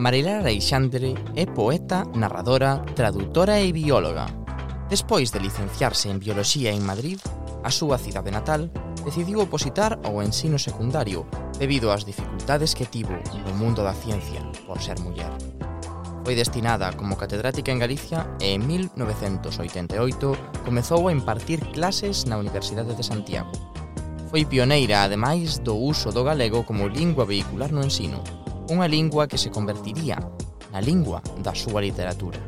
Marilar Aleixandre é poeta, narradora, tradutora e bióloga. Despois de licenciarse en Bioloxía en Madrid, a súa cidade natal, decidiu opositar ao ensino secundario debido ás dificultades que tivo no mundo da ciencia por ser muller. Foi destinada como catedrática en Galicia e en 1988 comezou a impartir clases na Universidade de Santiago. Foi pioneira, ademais, do uso do galego como lingua vehicular no ensino, unha lingua que se convertiría na lingua da súa literatura.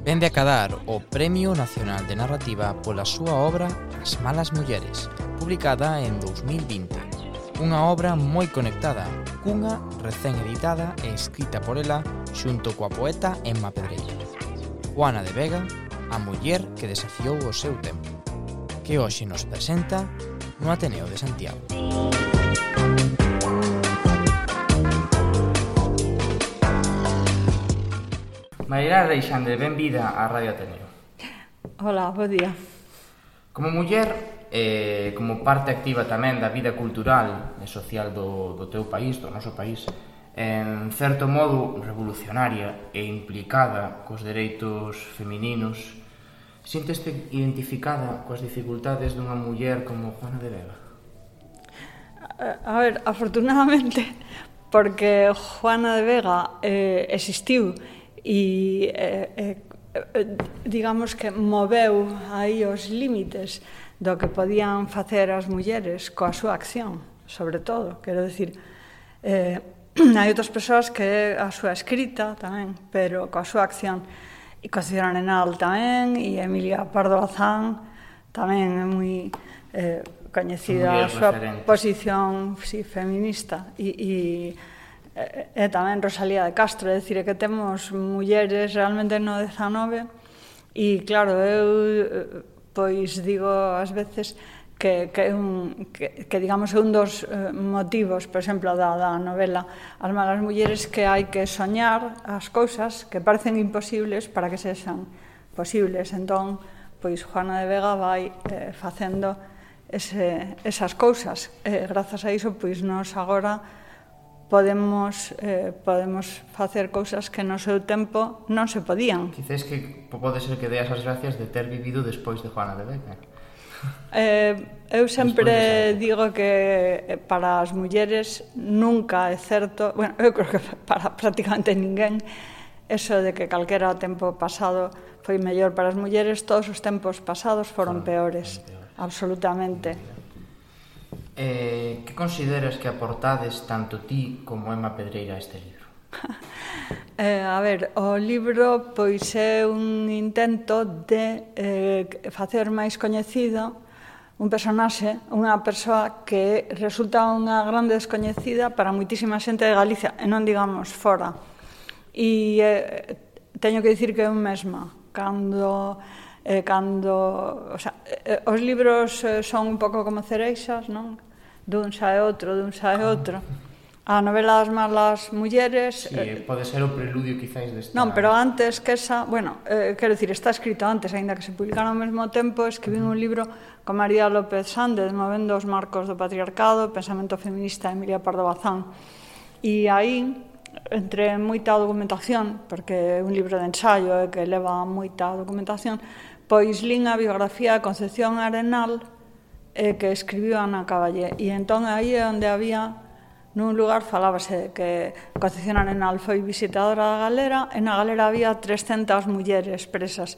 Vende a cadar o Premio Nacional de Narrativa pola súa obra As malas mulleres, publicada en 2020. Unha obra moi conectada, cunha recén editada e escrita por ela xunto coa poeta Emma Pedreira. Juana de Vega, a muller que desafiou o seu tempo, que hoxe nos presenta no Ateneo de Santiago. Marilar Aleixandre, benvida á Radio Ateneo. Hola, bo día. Como muller, como parte activa tamén da vida cultural e social do teu país, do noso país, en certo modo revolucionaria e implicada cos dereitos femininos, sínteste identificada coas dificultades dunha muller como Juana de Vega? A ver, afortunadamente, porque Juana de Vega existiu e digamos que moveu aí os límites do que podían facer as mulleres coa súa acción, sobre todo, quero dicir, hai outras persoas que a súa escrita tamén, pero coa súa acción, e coa señora Arenal tamén, e Emilia Pardo Bazán tamén é moi coñecida a súa posición feminista, e tamén Rosalía de Castro, é dicir, que temos mulleres realmente no 19, e claro, eu pois digo ás veces que digamos é un dos motivos, por exemplo, da novela As malas mulleres, que hai que soñar as cousas que parecen imposibles para que sexan posibles. Entón, pois Juana de Vega vai facendo esas cousas. Grazas a iso, pois nós agora podemos facer cousas que no seu tempo non se podían. Quizás que pode ser que deas as gracias de ter vivido despois de Juana de Vega. Eu sempre digo que para as mulleres nunca é certo, bueno, eu creo que para prácticamente ninguén, eso de que calquera tempo pasado foi mellor para as mulleres, todos os tempos pasados foron peores, absolutamente. Que consideras que aportades tanto ti como Emma Pedreira a este libro? A ver, o libro pois é un intento de facer máis coñecido un personaxe, unha persoa que resulta unha grande descoñecida para moitísima xente de Galicia, e non digamos fora. E teño que dicir que eu mesma, cando o sea, os libros son un pouco como cereixas, non? Dun sae outro, dun sae outro. A novela das malas mulleres... Sí, pode ser o preludio, quizáis, desta... Non, pero antes que esa... Bueno, quero dicir, está escrito antes, aínda que se publicaron ao mesmo tempo, escribín un libro con María López Sández, movendo os marcos do patriarcado, pensamento feminista, Emilia Pardo Bazán. E aí, entre moita documentación, porque é un libro de ensaio que leva moita documentación, pois lín a biografía de Concepción Arenal, que escribiu Ana Caballé. E entón aí é onde había... Nun lugar falábase que Concepción Arenal foi visitadora da galera e na galera había 300 mulleres presas.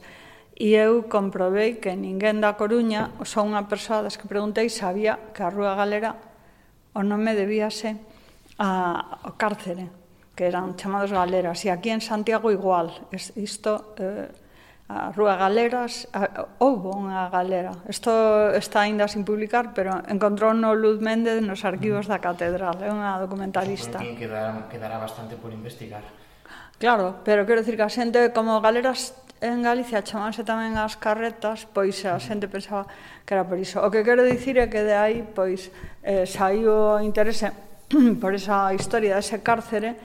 E eu comprobei que ninguén da Coruña, só unha persoa das que preguntei, sabía que a Rúa Galera o nome debíase ao cárcere, que eran chamados galeras. E aquí en Santiago igual. Isto... a Rúa Galeras, houbo unha galera. Isto está aínda sin publicar, pero encontrou no Luz Méndez nos arquivos da catedral. É unha documentalista. Quedará bastante por investigar. Claro, pero quero dicir que a xente, como galeras en Galicia chamanse tamén as carretas, pois a xente pensaba que era por iso. O que quero dicir é que de aí, pois, saiu o interese por esa historia dese cárcere.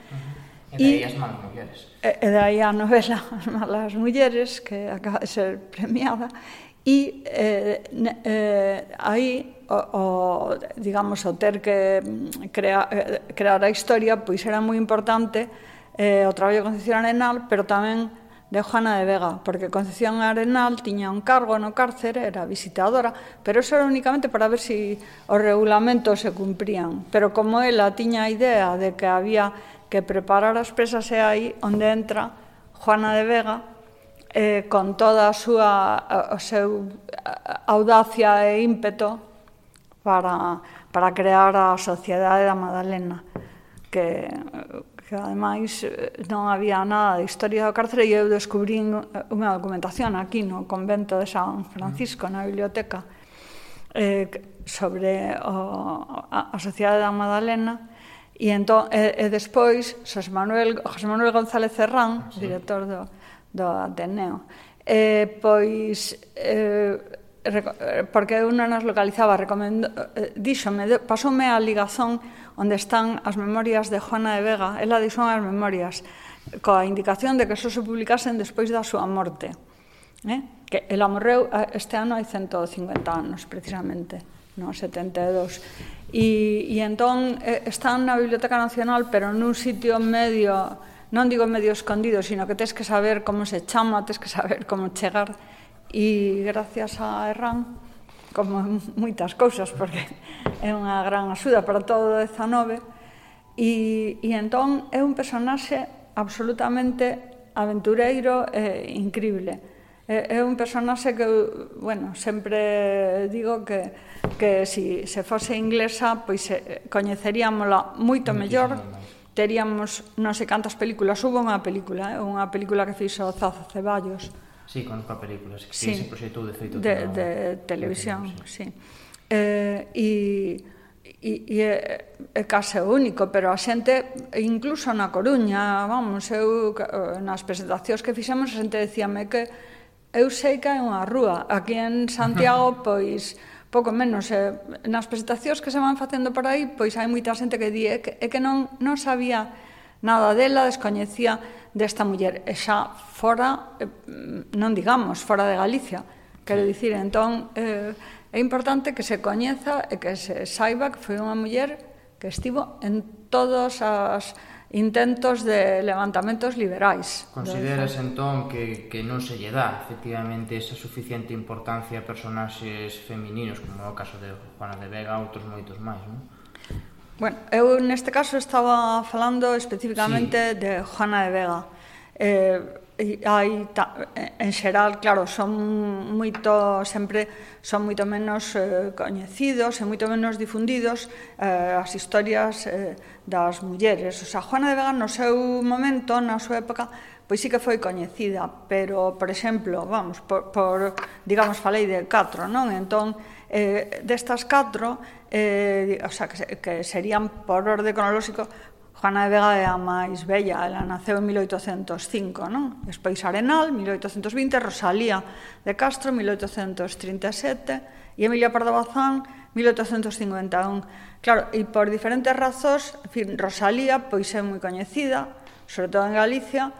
E de aí as malas mulleres. E de aí a novela As malas mulleres, que acaba de ser premiada, e aí, digamos, o ter que crear a historia, pois era moi importante o traballo de Concepción Arenal, pero tamén de Juana de Vega, porque Concepción Arenal tiña un cargo no cárcere, era visitadora, pero eso era únicamente para ver se os regulamentos se cumprían. Pero como ela tiña a idea de que había que preparar as presas, é aí onde entra Juana de Vega con toda a súa audacia e ímpeto para crear a Sociedade da Madalena, que ademais non había nada de historia do cárcere, e eu descubrín unha documentación aquí no convento de San Francisco, na biblioteca, sobre a Sociedade da Madalena, e despois José Manuel González Serrán, director do Ateneo, pois porque eu non nos localizaba, pasoume a ligazón onde están as memorias de Juana de Vega. Ela dixo as memorias coa indicación de que só se publicasen despois da súa morte, que ela morreu este ano hai 150 anos precisamente, no 72, e entón están na Biblioteca Nacional, pero nun sitio medio, non digo medio escondido, sino que tens que saber como se chama, tens que saber como chegar, e gracias a Herrán, como moitas cousas, porque é unha gran axuda para todo o 19, e entón é un personaxe absolutamente aventureiro e incrible. É un personaxe que, bueno, sempre digo que se fose inglesa, pois coñeceríamola moito mellor, teríamos non sei cantas películas, hubo unha película que fixo Zazo Ceballos. Sí, conozco a películas, que se proxectou de feito de televisión, sí. E é case o único, pero a xente, incluso na Coruña, vamos, eu nas presentacións que fixemos, a xente decíame que eu sei que hai unha rúa. Aquí en Santiago, pois, pouco menos. Nas presentacións que se van facendo por aí, pois hai moita xente que di que non sabía nada dela, descoñecía desta muller, e xa fora, non digamos, fora de Galicia. Quero dicir, entón, é importante que se coñeza e que se saiba que foi unha muller que estivo en todos os intentos de levantamentos liberais. Consideras, entón, que non se lle dá, efectivamente, esa suficiente importancia a personaxes femininos, como é o caso de Juana de Vega, outros moitos máis, non? Bueno, eu neste caso estaba falando especificamente de Juana de Vega. En xeral, claro, son moito menos coñecidos e moito menos difundidos as historias das mulleres. O sea, Juana de Vega no seu momento, na súa época, pois sí que foi coñecida, pero, por exemplo, vamos, digamos, falei de 4, non? Entón, destas 4, o sea, que serían por orde cronolóxico, Juana de Vega é a máis bella, ela naceu en 1805, non? Despois Arenal, 1820, Rosalía de Castro, 1837, e Emilia Pardo Bazán, 1851. Claro, e por diferentes razóns, en fin, Rosalía, pois é moi coñecida, sobre todo en Galicia,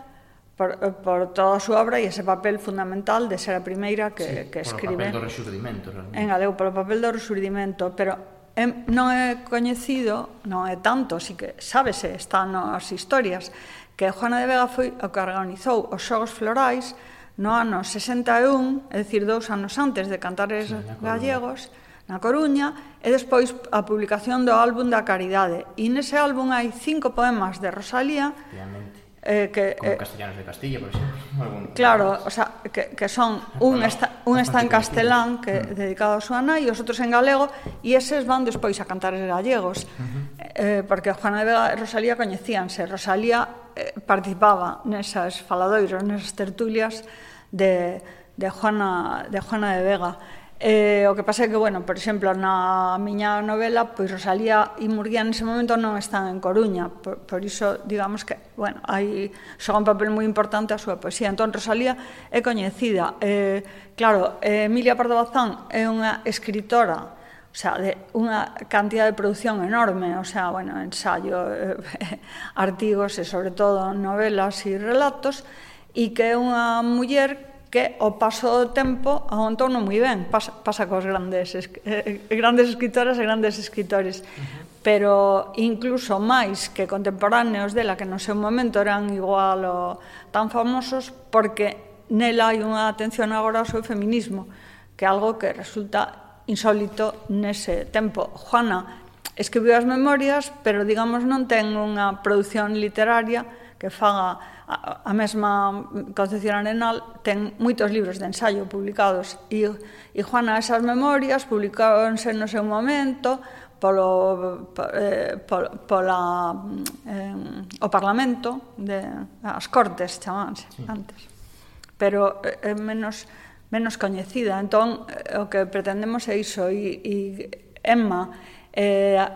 por toda a súa obra e ese papel fundamental de ser a primeira que escribe. Por o papel do rexurdimento, realmente. En galego, por o papel do rexurdimento, pero non é coñecido, non é tanto, si que sábese, está nas historias, que Juana de Vega foi o que organizou os Xogos Florais no ano 61, é dicir, 2 anos antes de Cantares Gallegos, na Coruña, e despois a publicación do álbum da Caridade. E nese álbum hai 5 poemas de Rosalía, como Castellanos de Castilla, por exemplo. Claro, o sea, que son un está en castelán, que dedicado a súa nai, e os outros en galego, e eses van despois a Cantares Gallegos, porque Juana de Vega e Rosalía coñecíanse. Rosalía participaba nesas faladoiros, nesas tertulias de Juana de Vega. O que pasa é que, bueno, por exemplo, na miña novela, pois Rosalía e Murguía nese momento non están en Coruña, por iso, digamos que, bueno, xoga un papel moi importante a súa poesía. Entón, Rosalía é coñecida. Claro, Emilia Pardo Bazán é unha escritora, o sea, de unha cantidad de produción enorme, o sea, bueno, ensayo, artigos e, sobre todo, novelas e relatos, e que é unha muller que ao paso do tempo aguantou non moi ben, pasa cos grandes escritoras e grandes escritores. pero incluso máis que contemporáneos dela, que no seu momento eran igual ou tan famosos, porque nela hai unha atención agora ao seu feminismo, que é algo que resulta insólito nese tempo. Juana escribiu as memorias, pero, digamos, non ten unha produción literaria que faga a mesma Concepción Arenal, ten moitos libros de ensaio publicados, e Juana, esas memorias publicáronse no seu momento o Parlamento, as Cortes chamanse antes, pero é menos coñecida. Entón, o que pretendemos é iso, e Emma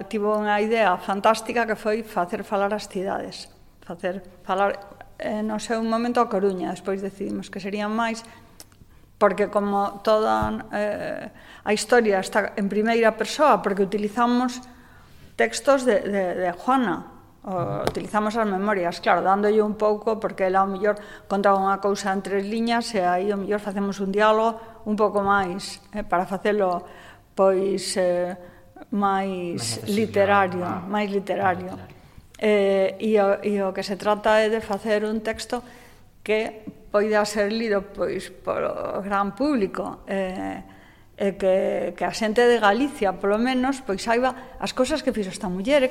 tivo unha idea fantástica que foi facer falar as cidades, facer falar no seu momento a Coruña. Despois decidimos que serían máis, porque como toda a historia está en primeira persoa, porque utilizamos textos de Juana, utilizamos as memorias, claro, dándolle un pouco, porque ela ao mellor contaba unha cousa en 3 liñas, e aí ao mellor facemos un diálogo un pouco máis, para facelo pois máis literario, e o que se trata é de facer un texto que poida ser lido pois polo gran público, e que a xente de Galicia, polo menos, pois saiba as cousas que fixo esta muller, e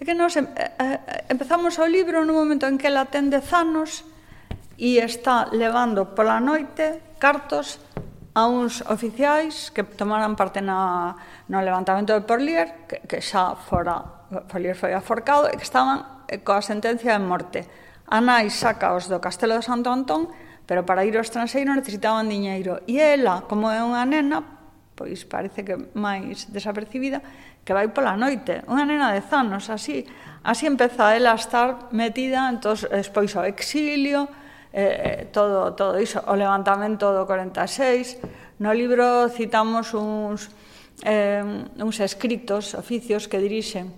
que nós empezamos o libro no momento en que ela ten 10 anos e está levando pola noite cartos a uns oficiais que tomaran parte no levantamento de Porlier, que xa Porlier foi aforcado, e que estaban coa sentencia de morte. A nai sacaos do Castelo de Santo Antón, pero para ir ao estranxeiro necesitaban diñeiro. E ela, como é unha nena, pois parece que máis desapercibida, que vai pola noite. Unha nena de 10 anos, así empeza ela a estar metida, entón, despois o exilio, todo iso, o levantamento do 46. No libro citamos uns escritos, oficios que dirixen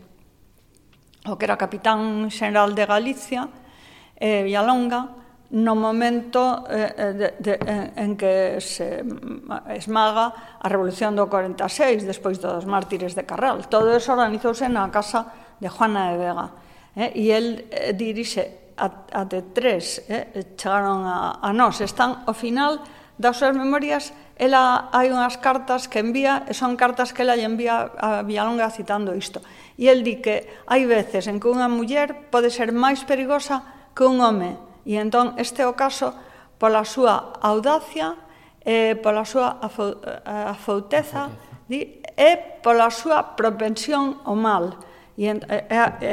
o que era capitán xeneral de Galicia, Villalonga, no momento en que se esmaga a Revolución do 46, despois dos mártires de Carral. Todo eso organizouse na casa de Juana de Vega, e el dirixe até 3, chegaron a nós, están ao final das súas memorias. Ela hai unhas cartas que envía, e son cartas que ela lle envía a Villalonga citando isto, e el di que hai veces en que unha muller pode ser máis perigosa que un home, e entón este é o caso pola súa audacia, pola súa afouteza, e pola súa propensión ao mal. E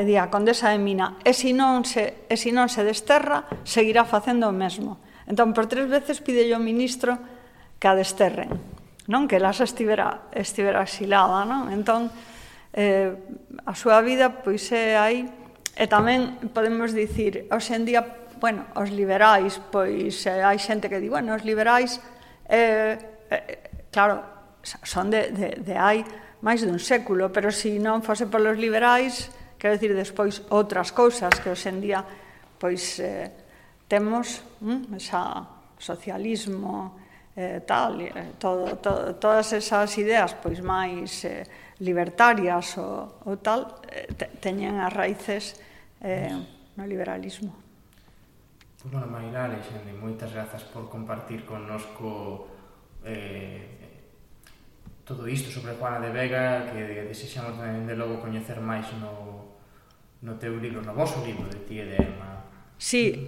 di a condesa de Mina, e se non se desterra, seguirá facendo o mesmo. Entón, por 3 veces pide ao ministro que a desterren, non? Que ela xa estivera exilada, non? Entón, a súa vida, pois, é aí. E tamén podemos dicir, hoxe en día, bueno, os liberais, pois, hai xente que di, bueno, os liberais, claro, son de hai máis dun século, pero se non fose polos liberais, quero dicir, despois outras cousas que hoxe en día, pois, temos, esa socialismo, tal, todas esas ideas, pois, máis libertarias ou tal, teñen as raíces no liberalismo. Bueno, Marilá Alexandre, moitas grazas por compartir connosco todo isto sobre Juana de Vega, que desexamos de logo coñecer máis no teu libro, no vosso libro de ti e de Emma. Sí,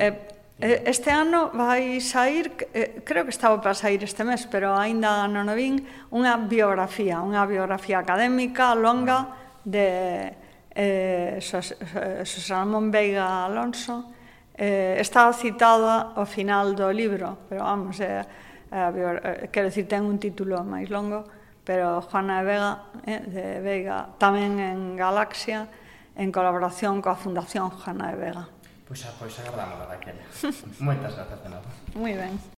este ano vai sair, creo que estaba para sair este mes, pero aínda non o vin, unha biografía académica longa de Xosé Ramón Veiga Alonso. Está citada ao final do libro, pero vamos, quero dicir, ten un título máis longo, pero Juana de Veiga, tamén en Galaxia, en colaboración coa Fundación Juana de Vega. Pois agardamos a daquela. Moitas grazas de nada. Moi ben.